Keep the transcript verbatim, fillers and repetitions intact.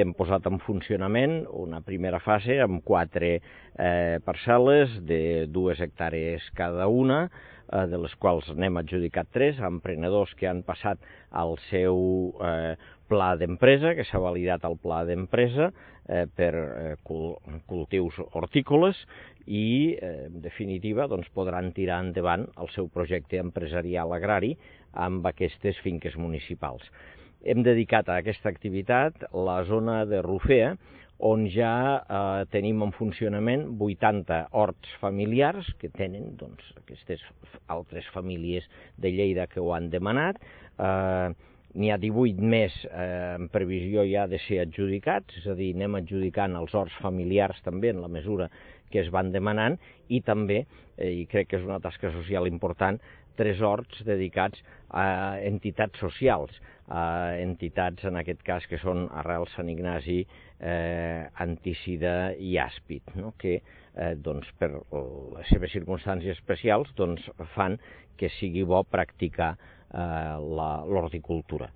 Hem posat en funcionament una primera fase amb quatre eh, parcel·les de dues hectàrees cada una, eh, de les quals n'hem adjudicat tres a emprenedors que han passat al seu eh, pla d'empresa, que s'ha validat el pla d'empresa eh, per eh, cul cultius hortícoles i, eh, en definitiva, doncs, podran tirar endavant el seu projecte empresarial agrari amb aquestes finques municipals. Hem dedicat a aquesta activitat la zona de Rufea, on ja eh, tenim en funcionament vuitanta horts familiars que tenen doncs, aquestes altres famílies de Lleida que ho han demanat. Eh, N'hi ha divuit més eh, en previsió ja de ser adjudicats, és a dir, anem adjudicant els horts familiars també en la mesura que es van demanant i també, eh, i crec que és una tasca social important, tres horts dedicats a entitats socials, a entitats en aquest cas que són Arrel Sant Ignasi, eh, Antícida i Àspid, no? que eh, doncs, per les seves circumstàncies especials doncs, fan que sigui bo practicar eh, l'horticultura.